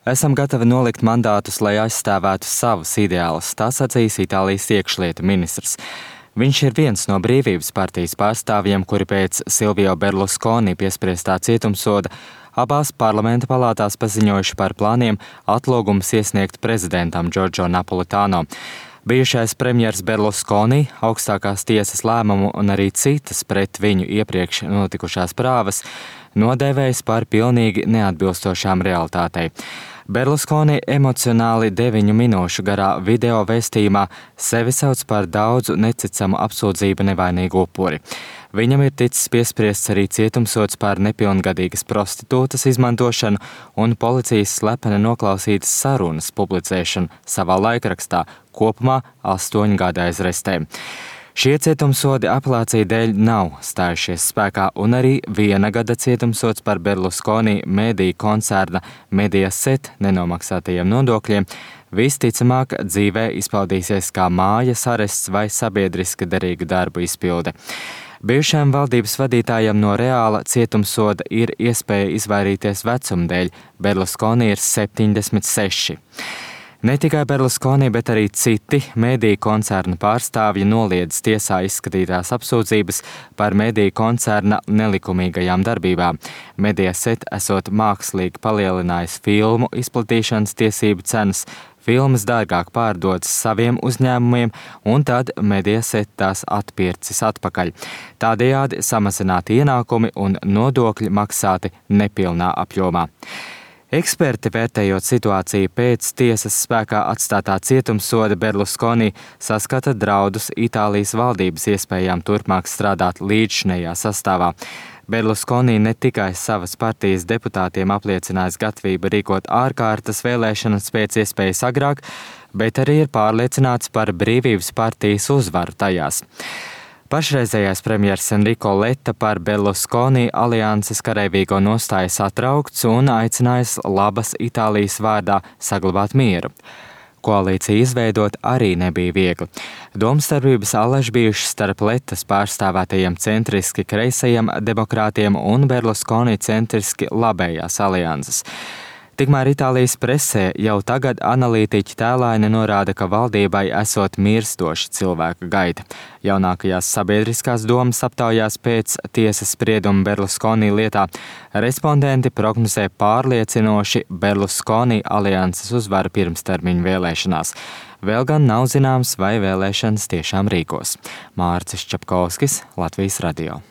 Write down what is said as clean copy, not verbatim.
Esam gatavi nolikt mandātus, lai aizstāvētu savus ideālus, tā sacīs Itālijas iekšlietu ministrs. Viņš ir viens no Brīvības partijas pārstāvjiem, kuri pēc Silvio Berlusconi piespriestā cietumsoda abās parlamenta palātās paziņojuši par plāniem atlūgumus iesniegt prezidentam Giorgio Napolitano. Bijušais premjers Berlusconi augstākās tiesas lēmumu un arī citas pret viņu iepriekš notikušās prāvas nodēvējis par pilnīgi neatbilstošām realitātei. Berlusconi emocionāli 9 minūšu garā video vēstījumā sevi sauc par daudzu neticamu apsūdzību nevainīgu upuri. Viņam ir ticis piespriests arī cietumsods par nepilngadīgas prostitūtas izmantošanu un policijas slepeni noklausītas sarunas publicēšanu savā laikrakstā, kopumā 8 gadu aizrestē. Šie cietumsodi apelācija dēļ nav stājušies spēkā, un arī 1 gada cietumsods par Berlusconi mediju koncerna Mediaset nenomaksātajiem nodokļiem visticamāk dzīvē izpaudīsies kā mājas arests vai sabiedriska derīgu darbu izpilde. Bijušajam valdības vadītājam no reāla cietumsoda ir iespēja izvairīties vecuma dēļ. Berlusconi ir 76. Ne tikai Berlusconi, bet arī citi mediju koncerna pārstāvji noliedz tiesā izskatītās apsūdzības par mediju koncerna nelikumīgajām darbībām. Mediaset esot mākslīgi palielinājis filmu izplatīšanas tiesību cenas, filmas dārgāk pārdodas saviem uzņēmumiem, un tad Mediaset tās atpircis atpakaļ. Tādējādi samazināti ienākumi un nodokļi maksāti nepilnā apjomā. Eksperti, vērtējot situāciju pēc tiesas spēkā atstātā cietumsoda, Berlusconi saskata draudus Itālijas valdības iespējām turpmāk strādāt līdzšinējā sastāvā. Berlusconi ne tikai savas partijas deputātiem apliecinājis gatavību rīkot ārkārtas vēlēšanas pēc iespējas agrāk, bet arī ir pārliecināts par Brīvības partijas uzvaru tajās. Pašreizējais premjers Enrico Letta par Berlusconi alianses karavīgo nostāju satraukts un aicinājis labas Itālijas vārdā saglabāt mieru. Koalīciju izveidot arī nebija viegli. Domstarpības allaž bijušas starp Lettas pārstāvētajiem centriski kreisajiem demokrātiem un Berlusconi centriski labējās alianses. Tikmēr Itālijas presē jau tagad analītiķi tēlaini norāda, ka valdībai esot mirstoši cilvēku gaita. Jaunākajās sabiedriskās domas aptaujās pēc tiesas sprieduma Berlusconi lietā respondenti prognozē pārliecinoši Berlusconi alianses uzvaru pirmstermiņu vēlēšanās. Vēl gan nav zināms, vai vēlēšanas tiešām rīkos. Mārcis Čapkovskis, Latvijas radio.